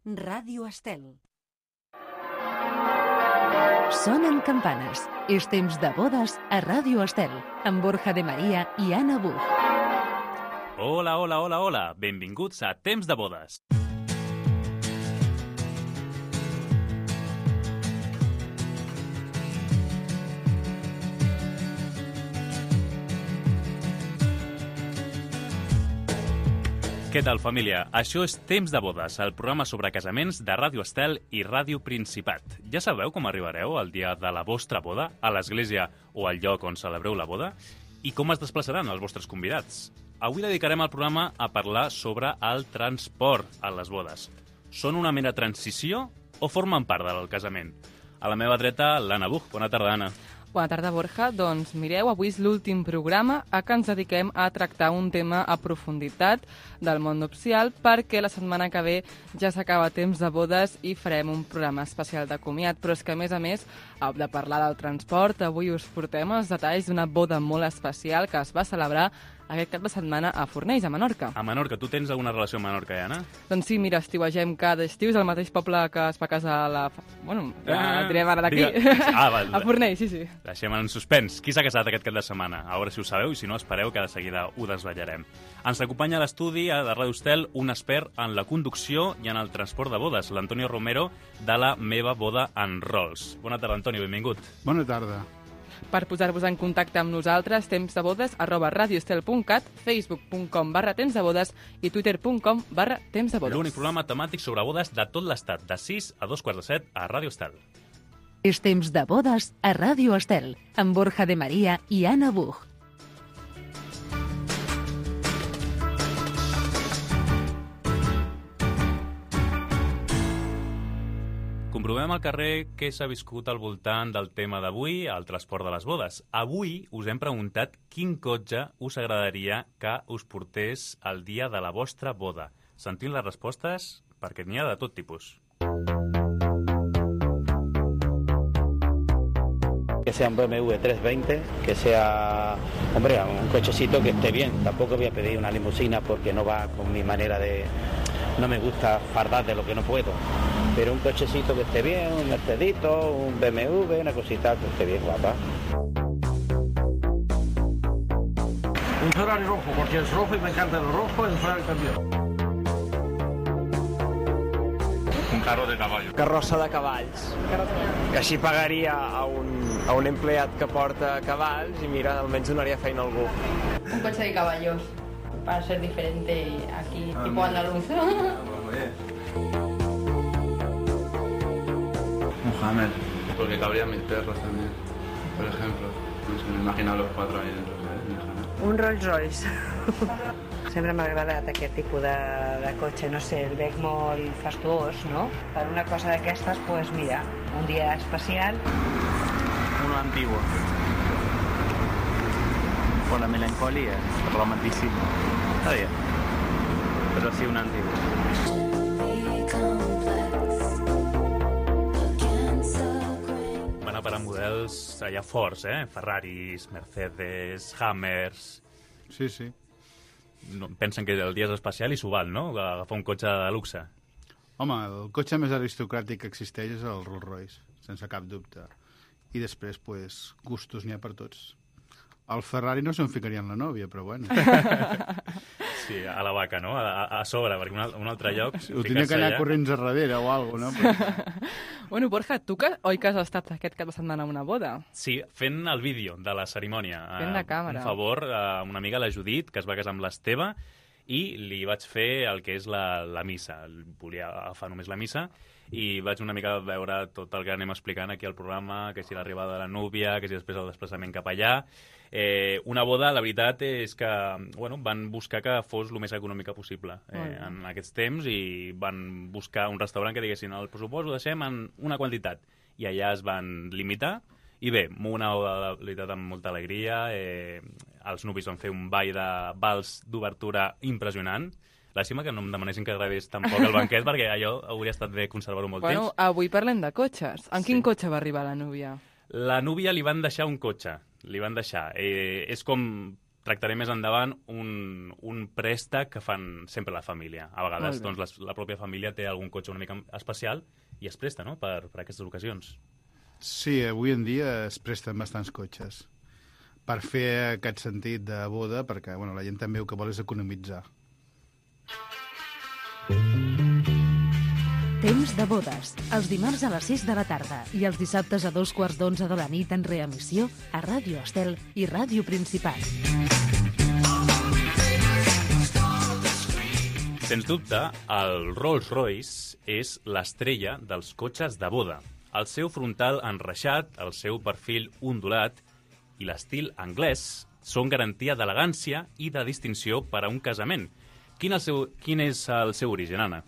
Ràdio Estel. Sonen campanes. És temps de bodes a Ràdio Estel, amb Borja de Maria i Anna Buch. Hola, hola, hola, hola. Benvinguts a Temps de bodes. Què tal, família? Això és Temps de bodes, el programa sobre casaments de Ràdio Estel i Ràdio Principat. Ja sabeu com arribareu el dia de la vostra boda, a l'església o al lloc on celebreu la boda? I com es desplaçaran els vostres convidats? Avui dedicarem el programa a parlar sobre el transport a les bodes. Són una mera transició o formen part del casament? A la meva dreta, l'Anna Buch. Bona tarda, Anna. Bona tarda, Borja. Doncs mireu, avui és l'últim programa a què ens dediquem a tractar un tema a profunditat del món nupcial, perquè la setmana que ve ja s'acaba Temps de bodes i farem un programa especial de comiat. Però és que, a més, de parlar del transport, avui us portem els detalls d'una boda molt especial que es va celebrar aquest cap de setmana a Fornells, a Menorca. A Menorca. Tu tens alguna relació amb Menorca, Anna? Doncs sí, mira, estiuegem cada estiu, és el mateix poble que es va casar la... Bueno, direm ara d'aquí. A Fornells, sí. Deixem en suspens. Qui s'ha casat aquest cap de setmana? A veure si ho sabeu, i si no, espereu que de seguida ho desvetllarem. Ens acompanya a l'estudi de Ràdio Estel un expert en la conducció i en el transport de bodes, l'Antonio Romero, de la Meva Boda en Rolls. Bona tarda, Antonio, benvingut. Bona tarda. Per posar-vos en contacte amb nosaltres, tempsdebodes@radioestel.cat, facebook.com/tempsdebodes i twitter.com/tempsdebodes. L'únic programa temàtic sobre bodes de tot l'estat, de 6 a 2:45 a Ràdio Estel. És temps de bodes a Ràdio Estel, amb Borja de Maria i Anna Buch. Comprovem al carrer què s'ha viscut al voltant del tema d'avui, el transport de les bodes. Avui us hem preguntat quin cotxe us agradaria que us portés el dia de la vostra boda. Sentim les respostes perquè n'hi ha de tot tipus. Que sea un BMW 320, que sea, hombre, un cochecito que esté bien. Tampoco voy a pedir una limusina porque no va con mi manera de... No me gusta fardar de lo que no puedo. Pero un cochecito que esté bien, un Mercedito, un BMW, una cosita que esté bien guapa. Un Ferrari rojo, porque es rojo y me encanta el rojo, el Ferrari también. Un carro de caballo. Carrossa de cavalls. Que així pagaria a un empleat que porta cavalls i mira, almenys donaria feina a algú. Un coche de caballos, para ser diferente aquí, tipo andaluz. Un Hammer, porque cabrían mis perros también, por ejemplo. No sé, me imagino los 4 ahí dentro del Hammer. Un Rolls Royce. Sempre m'ha agradat aquest tipus de cotxe, no sé, el veig molt fastuós, no? Per una cosa d'aquestes, pues mira, un dia especial. Uno antiguo. Por la melancolía, romanticismo. Está bien, pero sí un antiguo. Van a parar models allà forts, Ferraris, Mercedes, Hammers... Sí. No, pensen que el dia és especial i s'ho val, no? Agafar un cotxe de luxe. Home, el cotxe més aristocràtic que existeix és el Rolls Royce, sense cap dubte. I després, pues, gustos n'hi ha per tots. El Ferrari no se'n ficaria en la nòvia, però bueno. Sí, a la vaca, no? A sobre, perquè un altre lloc... Ho tenia que anar corrents a darrere o alguna cosa, no? Bueno, Borja, tu oi que has estat aquest cap de setmana a una boda? Sí, fent el vídeo de la cerimònia. Fent de càmera. Un favor a una amiga, la Judit, que es va casar amb l'Esteve, i li vaig fer el que és la missa. Volia agafar només la missa i vaig una mica veure tot el que anem explicant aquí al programa, que si l'arribada de la núvia, que si després el desplaçament cap allà. Una boda, la veritat és que van buscar que fos el més econòmica possible en aquests temps i van buscar un restaurant que diguessin el pressupost ho deixem en una quantitat i allà es van limitar i bé, una boda de veritat amb molta alegria, els nuvis van fer un ball de vals d'obertura impressionant. Làstima que no em demanessin que gravés tampoc el banquet perquè allò hauria estat bé conservar-ho molt temps. Avui parlem de cotxes. En quin cotxe va arribar la núvia? La núvia li van deixar un cotxe. Li van deixar. És com tractaré més endavant un préstec que fan sempre la família. A vegades doncs, la pròpia família té algun cotxe una mica especial i es presta, no?, per aquestes ocasions. Sí, avui en dia es presten bastants cotxes per fer aquest sentit de boda, perquè la gent també el que vol és economitzar. Temps de bodes, els dimarts a les 6 de la tarda i els dissabtes a 2:15 de la nit en reemissió a Ràdio Estel i Ràdio Principat. Sens dubte, el Rolls-Royce és l'estrella dels cotxes de boda. El seu frontal enreixat, el seu perfil ondulat i l'estil anglès són garantia d'elegància i de distinció per a un casament. Quin és el seu origen, Anna?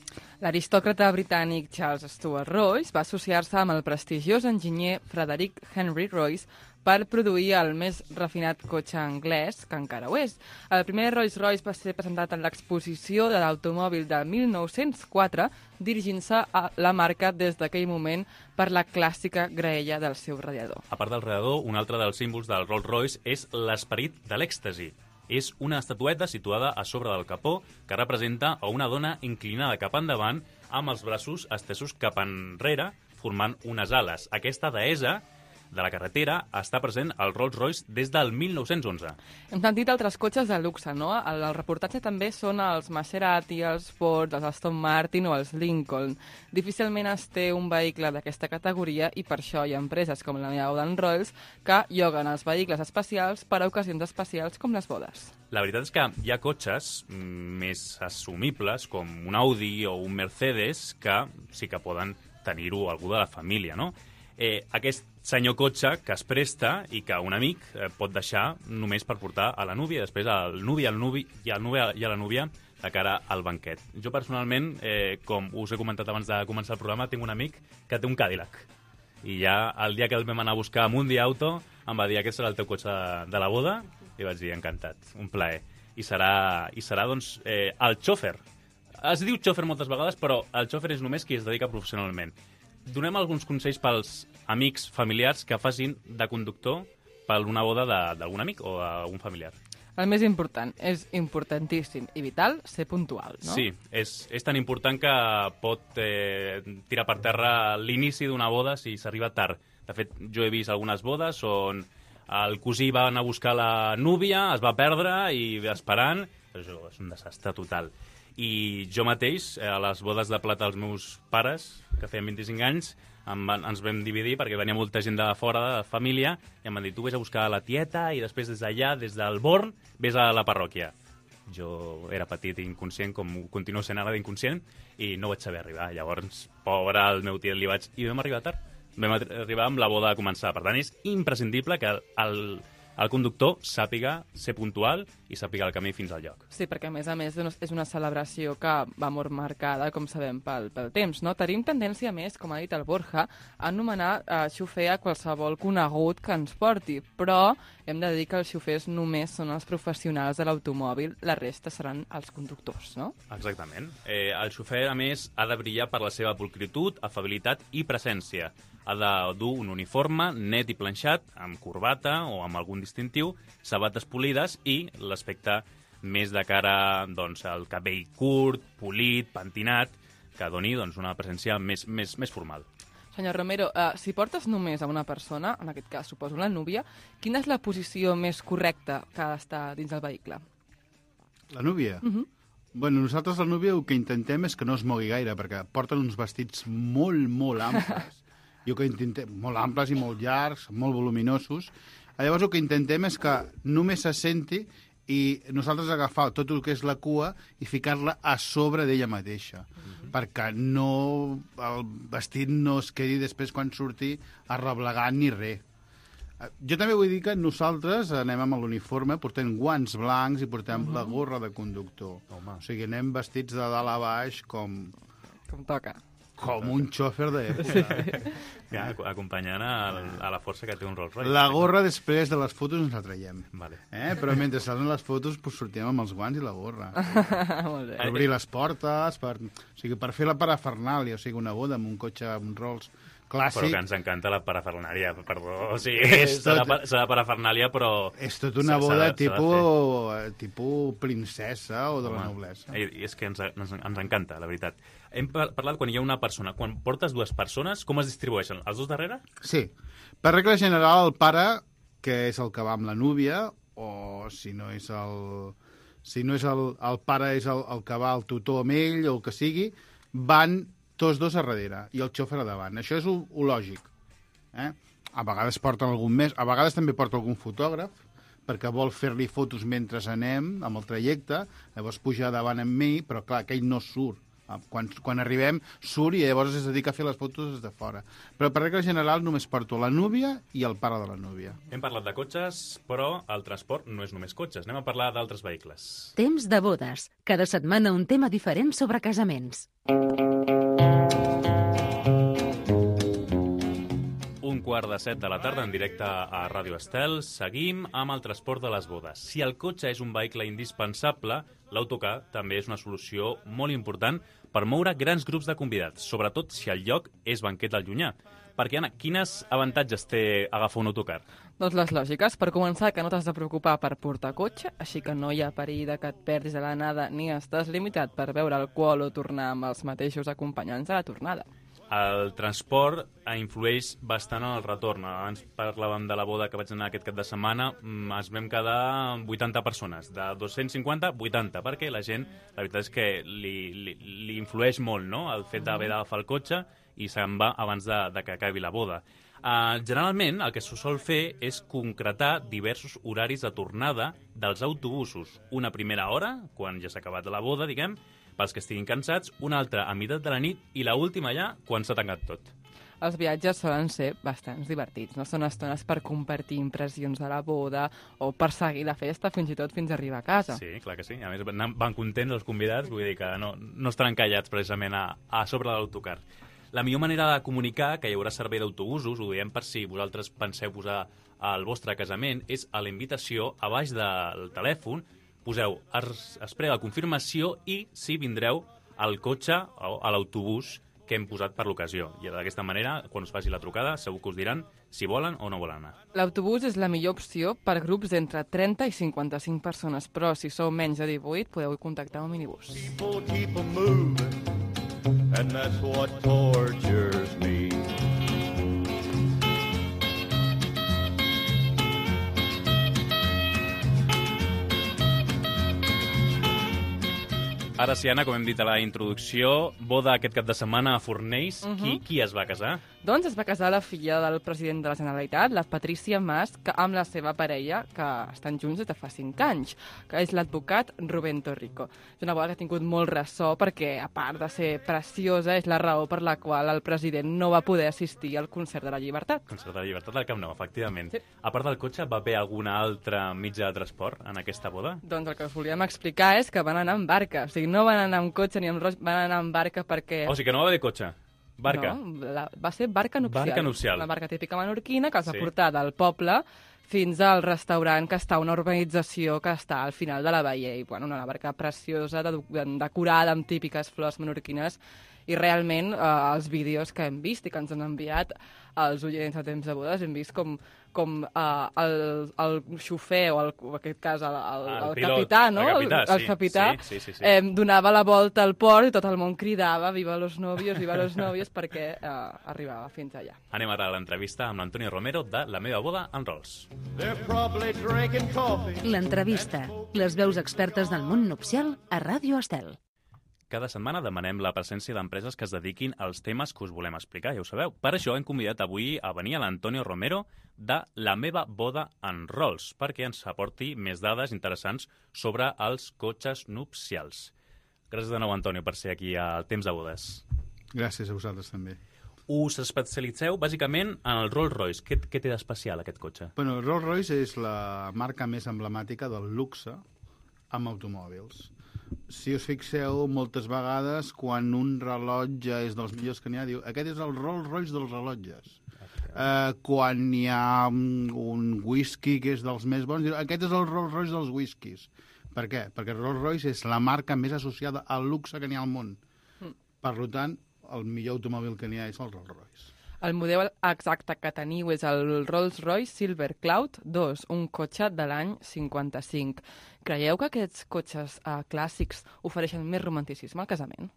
L'aristòcrata britànic Charles Stuart Royce va associar-se amb el prestigiós enginyer Frederick Henry Royce per produir el més refinat cotxe anglès, que encara ho és. El primer Rolls-Royce va ser presentat en l'exposició de l'automòbil de 1904, dirigint-se a la marca des d'aquell moment per la clàssica graella del seu radiador. A part del radiador, un altre dels símbols del Rolls-Royce és l'esperit de l'èxtasi. És una estatueta situada a sobre del capó que representa a una dona inclinada cap endavant amb els braços estesos cap enrere formant unes ales. Aquesta deessa de la carretera està present al Rolls-Royce des del 1911. Hem sentit altres cotxes de luxe, no? El reportatge també són els Maserati, els Ford, els Aston Martin o els Lincoln. Difícilment es té un vehicle d'aquesta categoria i per això hi ha empreses com la Meaudan Rolls que lloguen els vehicles especials per a ocasions especials com les bodes. La veritat és que hi ha cotxes més assumibles com un Audi o un Mercedes que sí que poden tenir-ho algú de la família, no? Aquest senyor cotxe que es presta i que un amic pot deixar només per portar a la núvia i després al nuvi i a la núvia de cara al banquet. Jo personalment, com us he comentat abans de començar el programa, tinc un amic que té un Cadillac. I ja el dia que el vam anar a buscar a Mundi Auto em va dir aquest serà el teu cotxe de la boda i vaig dir encantat, un plaer. I serà doncs, el xòfer. Es diu xòfer moltes vegades, però el xòfer és només qui es dedica professionalment. Donem alguns consells pels amics familiars que facin de conductor per una boda d'algun amic o d'un familiar. El més important, és importantíssim i vital ser puntual, no? Sí, és tan important que pot tirar per terra l'inici d'una boda si s'arriba tard. De fet, jo he vist algunes bodes on el cosí va anar a buscar la núvia, es va perdre i esperant. Això és un desastre total. I jo mateix, a les bodes de plata dels meus pares, que feien 25 anys, ens vam dividir perquè venia molta gent de fora, de família, i em van dir, tu vés a buscar la tieta i després des d'allà, des del Born, vés a la parròquia. Jo era petit i inconscient, com continuo sent ara d'inconscient, i no vaig saber arribar. Llavors, pobre, el meu tiet li vaig... I vam arribar tard. Vam arribar amb la boda a començar. Per tant, és imprescindible que el conductor sàpiga ser puntual i sàpiga el camí fins al lloc. Sí, perquè a més és una celebració que va molt marcada, com sabem, pel temps, no? Tenim tendència més, com ha dit el Borja, a anomenar xofer a qualsevol conegut que ens porti, però hem de dir que els xofers només són els professionals de l'automòbil, la resta seran els conductors, no? Exactament. El xofer, a més, ha de brillar per la seva pulcritud, afabilitat i presència. Ha de dur un uniforme net i planxat, amb corbata o amb algun distintiu, sabates polides i l'aspecte més de cara doncs, al cabell curt, polit, pentinat, que doni doncs, una presència més formal. Senyor Romero, si portes només a una persona, en aquest cas suposo la núvia, quina és la posició més correcta que ha d'estar dins del vehicle? La núvia? Bueno, nosaltres la núvia el que intentem és que no es mogui gaire, perquè porten uns vestits molt amples. Molt amples i molt llargs, molt voluminosos. Llavors el que intentem és que només se senti i nosaltres agafar tot el que és la cua i ficar-la a sobre d'ella mateixa, perquè el vestit no es quedi després quan surti arreblegant ni res. Jo també vull dir que nosaltres anem amb l'uniforme, portem guants blancs i portem la gorra de conductor. O sigui, anem vestits de dalt a baix com toca. Com un xòfer d'època. Ja, acompanyant a la força que té un Rolls-Royce. La gorra després de les fotos ens la traiem. Vale. Però mentre salen les fotos sortim amb els guants i la gorra. Molt bé. Per obrir les portes, per fer la parafernàlia, o sigui, una boda amb un cotxe, amb un Rolls, clàssic. Però que ens encanta la parafernàlia, perdó. O sigui, s'ha de parafernàlia, però... És tot una boda tipus princesa o de la noblesa. I és que ens encanta, la veritat. Hem parlat quan hi ha una persona. Quan portes dues persones, com es distribueixen? Els dos darrere? Sí. Per regla general, el pare, que és el que va amb la núvia, o si no és el pare és el que va al tutor amb ell o el que sigui, van tots dos a darrere i el xòfer a davant. Això és lo lògic. A vegades porten algun més, a vegades també porta algun fotògraf perquè vol fer-li fotos mentre anem amb el trajecte, llavors puja davant amb mi, però clar, aquell no surt. Quan arribem surt i llavors es dedica a fer les fotos des de fora. Però per regla general només porto la núvia i el pare de la núvia. Hem parlat de cotxes, però el transport no és només cotxes. Anem a parlar d'altres vehicles. Temps de bodes. Cada setmana un tema diferent sobre casaments. 6:45 de la tarda, en directe a Ràdio Estel. Seguim amb el transport de les bodes. Si el cotxe és un vehicle indispensable, l'autocar també és una solució molt important per moure grans grups de convidats, sobretot si el lloc és banquet al llunyà. Perquè, Anna, quins avantatges té agafar un autocar? Doncs les lògiques. Per començar, que no t'has de preocupar per portar cotxe, així que no hi ha perill de que et perdis a l'anada ni estàs limitat per beure alcohol o tornar amb els mateixos acompanyants a la tornada. El transport influeix bastant en el retorn. Abans parlàvem de la boda que vaig anar aquest cap de setmana, ens vam quedar 80 persones, de 250, 80, perquè la gent, la veritat és que li influeix molt, no?, el fet d'haver d'agafar el cotxe i se'n va abans de que acabi la boda. Generalment, el que se sol fer és concretar diversos horaris de tornada dels autobusos. Una primera hora, quan ja s'ha acabat la boda, diguem, pels que estiguin cansats, una altra a meitat de la nit i l'última ja quan s'ha tancat tot. Els viatges solen ser bastant divertits, no? Són estones per compartir impressions de la boda o per seguir la festa fins i tot fins a arribar a casa. Sí, clar que sí. A més, van contents els convidats, vull dir que no estaran callats precisament a sobre de l'autocar. La millor manera de comunicar que hi haurà servei d'autobusos, ho diem per si vosaltres penseu posar el vostre casament, és a la invitació, a baix del telèfon, poseu, es prega la confirmació i si vindreu al cotxe o a l'autobús que hem posat per l'ocasió. I d'aquesta manera, quan us faci la trucada, segur que us diran si volen o no volen anar. L'autobús és la millor opció per grups d'entre 30 i 55 persones, però si sou menys de 18 podeu contactar un minibús. People keep moving, and that's what tortures me. Ara sí, Anna, com hem dit a la introducció, boda aquest cap de setmana a Fornells. Qui es va casar? Doncs es va casar la filla del president de la Generalitat, la Patrícia Mas, amb la seva parella, que estan junts des de fa 5 anys, que és l'advocat Rubén Torrico. És una boda que ha tingut molt ressò perquè, a part de ser preciosa, és la raó per la qual el president no va poder assistir al Concert de la Llibertat. Concert de la Llibertat del Camp Nou, efectivament. Sí. A part del cotxe, va haver algun altre mitjà de transport en aquesta boda? Doncs el que us volíem explicar és que van anar amb barca. O sigui, no van anar amb cotxe ni amb roig, van anar amb barca perquè... O sigui que no va haver cotxe? Barca? No, va ser barca nupcial. Barca nupcial. Una barca típica menorquina que els va portar del poble fins al restaurant que està a una urbanització que està al final de la baia. I, bueno, una barca preciosa, decorada amb típiques flors menorquines. I realment els vídeos que hem vist i que ens han enviat els oients a Temps de Bodes, hem vist com el xofer, o en aquest cas el capità, no? El capità donava la volta al port i tot el món cridava «Viva los novios, viva los novios», perquè arribava fins allà. Anem ara a l'entrevista amb l'Antonio Romero de La meva boda en Rolls. L'entrevista. Les veus expertes del món nupcial a Ràdio Estel. Cada setmana demanem la presència d'empreses que es dediquin als temes que us volem explicar, ja ho sabeu. Per això hem convidat avui a venir a l'Antonio Romero de La meva boda en Rolls, perquè ens aporti més dades interessants sobre els cotxes nupcials. Gràcies de nou, Antonio, per ser aquí al Temps de Bodes. Gràcies a vosaltres també. Us especialitzeu bàsicament en el Rolls-Royce. Què té d'especial aquest cotxe? Bueno, el Rolls-Royce és la marca més emblemàtica del luxe amb automòbils. Si us fixeu, moltes vegades, quan un rellotge és dels millors que n'hi ha, diu, aquest és el Rolls-Royce dels rellotges. Quan hi ha un whisky que és dels més bons, diu, aquest és el Rolls-Royce dels whiskies. Per què? Perquè Rolls-Royce és la marca més associada al luxe que n'hi ha al món. Per tant, el millor automòbil que n'hi ha és el Rolls-Royce. El model exacte que teniu és el Rolls-Royce Silver Cloud 2, un cotxe de l'any 55. Creieu que aquests cotxes clàssics ofereixen més romanticisme al casament?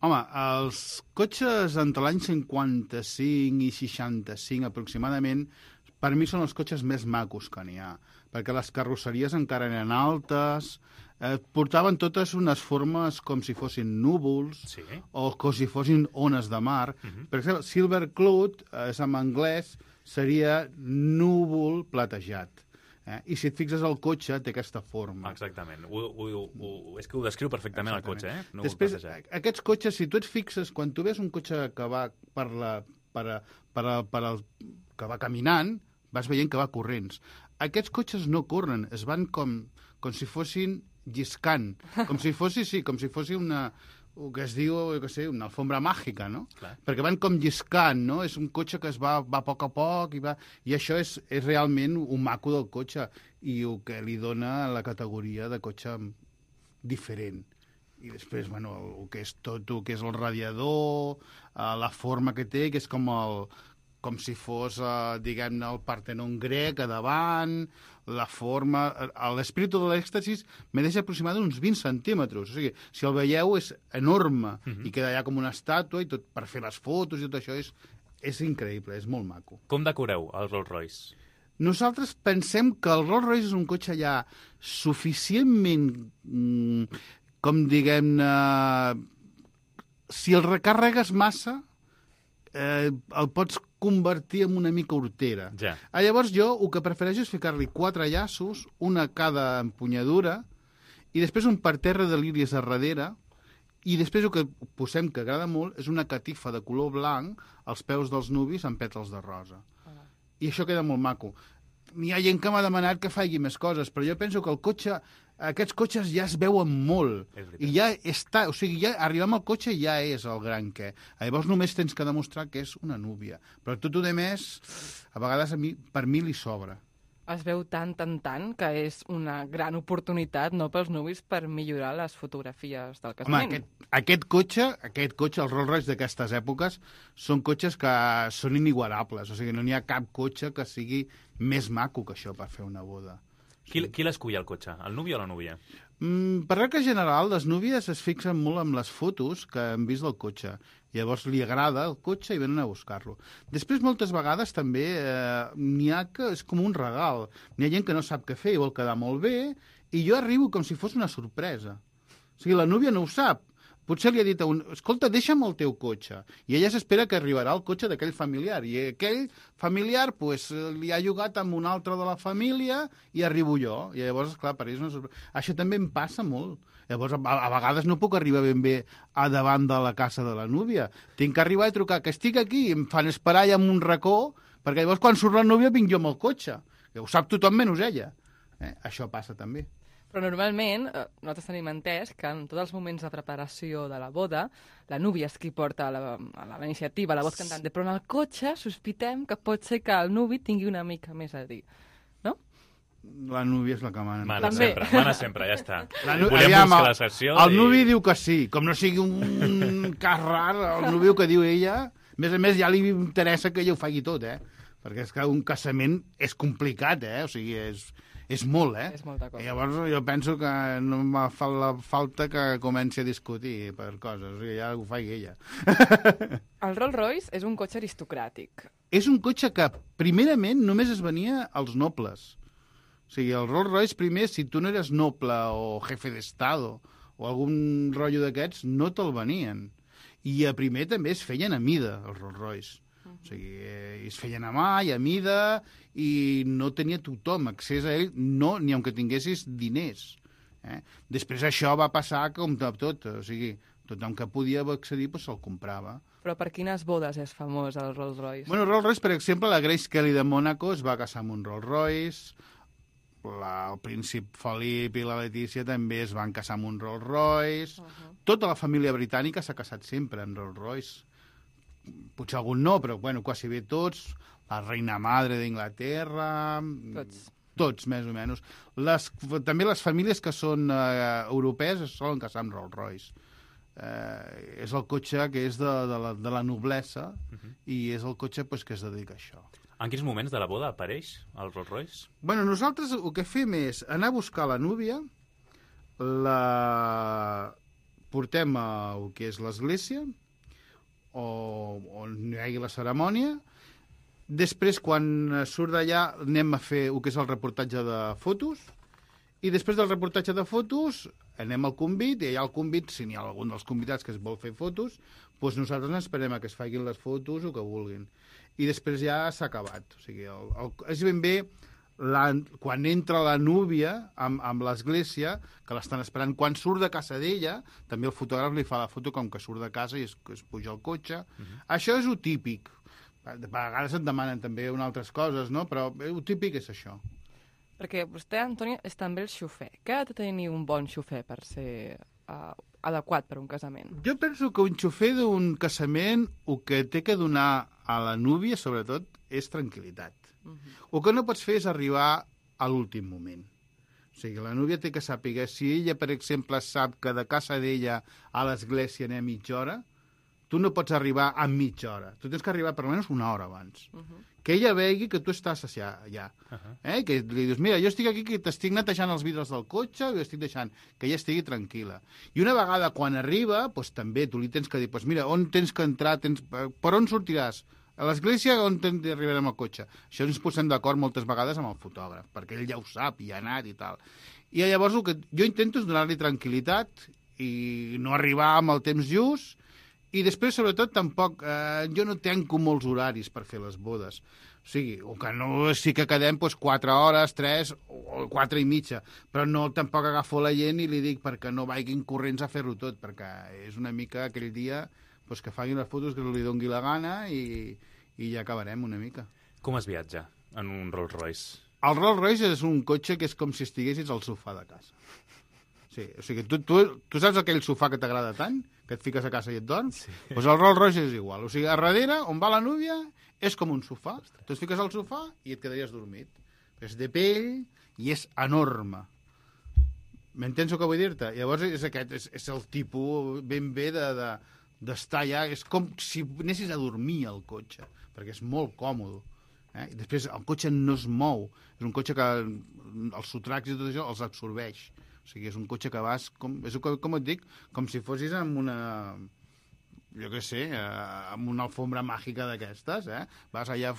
Home, els cotxes entre l'any 55 i 65 aproximadament, per mi són els cotxes més macos que n'hi ha, perquè les carrosseries encara eren altes, portaven totes unes formes com si fossin núvols o com si fossin ones de mar. Per exemple, Silver Cloud, és en anglès, seria núvol platejat. I si et fixes el cotxe, té aquesta forma. Exactament. És que ho descriu perfectament el cotxe, eh? Núvol Després, platejat. aquests cotxes, si tu et fixes, quan tu ves un cotxe que va que va caminant, vas veient que va corrents. Aquests cotxes no corren, es van com si fossin lliscant, com si fossi una, el que es diu, una alfombra màgica, no? Clar. Perquè van com lliscant, no? És un cotxe que es va a poc a poc i això és realment un maco del cotxe i el que li dona la categoria de cotxe diferent. I després, bueno, el que és tot, el que és el radiador, la forma que té, que és com si fos, diguem-ne, el Partenon grec a davant, la forma... L'espíritu de l'èxtasis me deixa aproximadament uns 20 centímetres. O sigui, si el veieu és enorme i queda allà com una estàtua i tot per fer les fotos i tot això és increïble, és molt maco. Com decoreu el Rolls Royce? Nosaltres pensem que el Rolls Royce és un cotxe ja suficientment, com diguem-ne... Si el recàrregues massa, el pots convertir en una mica hortera. Ja. Llavors jo el que prefereixo és ficar-li 4 llaços, una a cada empunyadura, i després un parterre de líries a darrere, i després el que posem, que agrada molt, és una catifa de color blanc als peus dels nuvis amb pètals de rosa. I això queda molt maco. N'hi ha gent que m'ha demanat que faci més coses, però jo penso que el cotxe, aquests cotxes ja es veuen molt. I ja està, o sigui, ja arribant al cotxe ja és el gran què. Llavors només tens que demostrar que és una núvia. Però tot el més, a vegades per mi li sobra. Es veu tant, que és una gran oportunitat, no, pels nuvis per millorar les fotografies del casament. Home, aquest cotxe, els Rolls Royce d'aquestes èpoques, són cotxes que són inigualables. O sigui, no n'hi ha cap cotxe que sigui més maco que això per fer una boda. Qui l'escull el cotxe? El nuvi o la núvia? Per regla general, les núvies es fixen molt amb les fotos que han vist del cotxe. Llavors li agrada el cotxe i venen a buscar-lo. Després, moltes vegades, també n'hi ha que és com un regal. N'hi ha gent que no sap què fer i vol quedar molt bé, i jo arribo com si fos una sorpresa. O sigui, la núvia no ho sap. Potser li ha dit a un... Escolta, deixa'm el teu cotxe. I ella s'espera que arribarà el cotxe d'aquell familiar. I aquell familiar li ha llogat amb un altre de la família i arribo jo. I llavors, esclar, per ells no... Això també em passa molt. Llavors, a vegades no puc arribar ben bé a davant de la casa de la núvia. Tinc que arribar i trucar que estic aquí i em fan esperar allà en un racó, perquè llavors quan surt la núvia vinc jo amb el cotxe. Que ho sap tothom menys ella. Això passa també. Però normalment, nosaltres tenim entès que en tots els moments de preparació de la boda, la núvia és qui porta la iniciativa, la voz cantante, però en el cotxe sospitem que pot ser que el nuvi tingui una mica més a dir, no? La núvia és la que mana. Mana sempre, ja està. Volem buscar la sessió. El nuvi diu que sí, com no sigui un cas rar, el nuvi que diu ella, a més ja li interessa que ella ho faci tot, perquè és que un casament és complicat, o sigui, és molt, És molta cosa. Llavors jo penso que no em fa la falta que comenci a discutir per coses, o sigui, ja ho faci ella. El Rolls Royce és un cotxe aristocràtic. És un cotxe que primerament només es venia als nobles. O sigui, el Rolls Royce primer, si tu no eres noble o jefe d'estado o algun rotllo d'aquests, no te'l venien. I a primer també es feien a mida, els Rolls Royce. O sigui, es feien a mà i a mida i no tenia tothom accés a ell, no, ni aunque tinguessis diners. Després això va passar com tot, o sigui, tothom que podia accedir se'l comprava. Però per quines bodes és famós el Rolls Royce? Bueno, Rolls Royce, per exemple, la Grace Kelly de Mònaco es va casar amb un Rolls Royce, el príncip Felip i la Letícia també es van casar amb un Rolls Royce, tota la família britànica s'ha casat sempre amb Rolls Royce. Potser algun no, però bueno, quasi bé tots, la reina madre d'Inglaterra... Tots, més o menys. També les famílies que són europees es solen casar amb Rolls Royce. és el cotxe que és de la noblesa i és el cotxe pues, que es dedica a això. En quins moments de la boda apareix el Rolls Royce? Bueno, nosaltres el que fem és anar a buscar la núvia, la portem a el que és l'església, on hi hagi la cerimònia. Després, quan surt d'allà, anem a fer el que és el reportatge de fotos, i després del reportatge de fotos anem al convit, i allà al convit, si n'hi ha algun dels convidats que es vol fer fotos, doncs nosaltres esperem a que es facin les fotos o que vulguin. I després ja s'ha acabat. O sigui, és ben bé quan entra la núvia amb l'església, que l'estan esperant, quan surt de casa d'ella, també el fotògraf li fa la foto com que surt de casa i es puja al cotxe. Això és el típic. A vegades et demanen també altres coses, no? Però el típic és això. Perquè vostè, Antoni, és també el xofer. Què ha de tenir un bon xofer per ser adequat per un casament? Jo penso que un xofer d'un casament el que té que donar a la núvia, sobretot, és tranquil·litat. El que no pots fer és arribar a l'últim moment. O sigui, la núvia té que sàpiga, si ella, per exemple, sap que de casa d'ella a l'església anem mitja hora, tu no pots arribar a mitja hora. Tu tens que arribar per almenys una hora abans. Que ella vegi que tu estàs allà. Que li dius, mira, jo estic aquí que t'estic netejant els vidres del cotxe i estic deixant que ella estigui tranquil·la. I una vegada quan arriba, doncs també tu li tens que dir, doncs mira, on tens que entrar, per on sortiràs? A l'església on arribarem al cotxe? Això ens posem d'acord moltes vegades amb el fotògraf, perquè ell ja ho sap i ha anat i tal. I llavors el que jo intento és donar-li tranquil·litat i no arribar amb el temps just. I després, sobretot, tampoc, jo no tanco molts horaris per fer les bodes. O sigui, o que no sí que quedem 4 hores, 3 o 4 i mitja, però no tampoc agafo la gent i li dic perquè no vagin corrents a fer-ho tot, perquè és una mica aquell dia que facin les fotos que li doni la gana i ja acabarem una mica. Com es viatja en un Rolls Royce? El Rolls Royce és un cotxe que és com si estiguessis al sofà de casa. Sí, o sigui, tu saps aquell sofà que t'agrada tant, que et fiques a casa i et dorms? Sí. Doncs el Rolls Royce és igual. O sigui, a darrere, on va la núvia, és com un sofà. Tu et fiques al sofà i et quedaries dormit. És de pell i és enorme. M'entens el que vull dir-te? Llavors és el tipus ben bé d'estar allà. És com si anessis a dormir al cotxe, perquè és molt còmode. I després el cotxe no es mou. És un cotxe que els sotracs i tot això els absorbeix. O sigui, és un cotxe que vas, com et dic, com si fossis amb una, jo què sé, amb una alfombra màgica d'aquestes, Vas allà,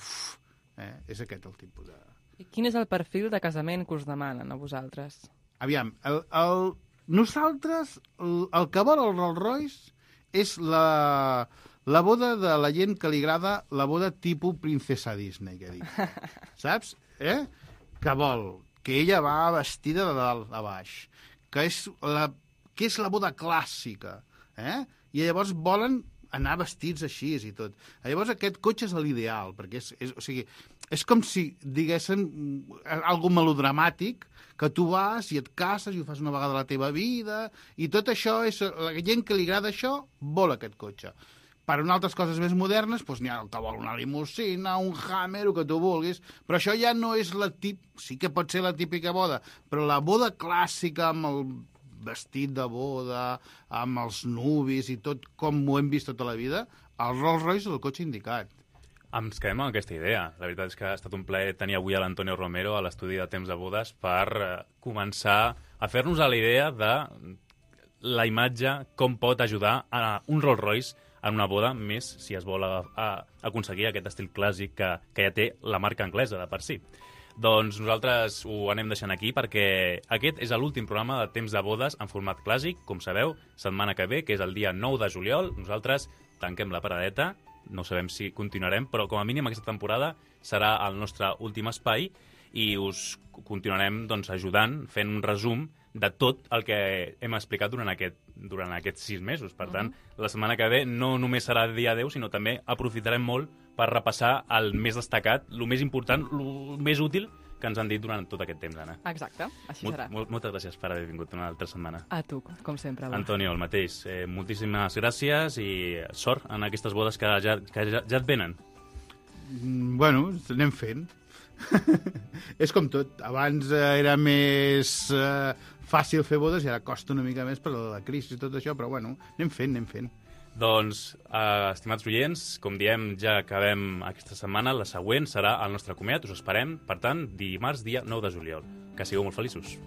és aquest el tipus de... I quin és el perfil de casament que us demanen a vosaltres? Aviam, nosaltres, el que vol el Rolls Royce és la boda de la gent que li agrada la boda tipus princesa Disney, que dic. Saps? Que vol que ella va vestida de dalt a baix, que és la boda clàssica, i llavors volen anar vestits així i tot. Llavors aquest cotxe és l'ideal, perquè és com si diguéssim algo melodramàtic, que tu vas i et cases i ho fas una vegada a la teva vida, i tot això, la gent que li agrada això, vol aquest cotxe. Per a altres coses més modernes, doncs n'hi ha el que vol una limusina, un Hammer, el que tu vulguis, però això ja no és sí que pot ser la típica boda, però la boda clàssica amb el vestit de boda, amb els nuvis i tot com ho hem vist tota la vida, el Rolls Royce és el cotxe indicat. Ens quedem amb aquesta idea. La veritat és que ha estat un plaer tenir avui a l'Antonio Romero a l'estudi de Temps de Bodes per començar a fer-nos a la idea de la imatge, com pot ajudar a un Rolls Royce en una boda, més si es vol aconseguir aquest estil clàssic que ja té la marca anglesa de per si. Doncs nosaltres ho anem deixant aquí perquè aquest és l'últim programa de Temps de Bodes en format clàssic, com sabeu, setmana que ve, que és el dia 9 de juliol. Nosaltres tanquem la paradeta, no sabem si continuarem, però com a mínim aquesta temporada serà el nostre últim espai i us continuarem ajudant, fent un resum de tot el que hem explicat durant aquests 6 mesos. Per tant, la setmana que ve no només serà dia 10, sinó també aprofitarem molt per repassar el més destacat, el més important, el més útil que ens han dit durant tot aquest temps, Anna. Exacte, així serà. Moltes gràcies per haver vingut una altra setmana. A tu, com sempre. Antonio, el mateix. Moltíssimes gràcies i sort en aquestes bodes que ja et venen. Bueno, anem fent. És com tot. Abans era més fàcil fer bodes i ara costa una mica més per la crisi i tot això, però bueno, anem fent. Doncs, estimats oients, com diem, ja acabem aquesta setmana. La següent serà el nostre comiat. Us esperem, per tant, dimarts, dia 9 de juliol. Que sigueu molt feliços.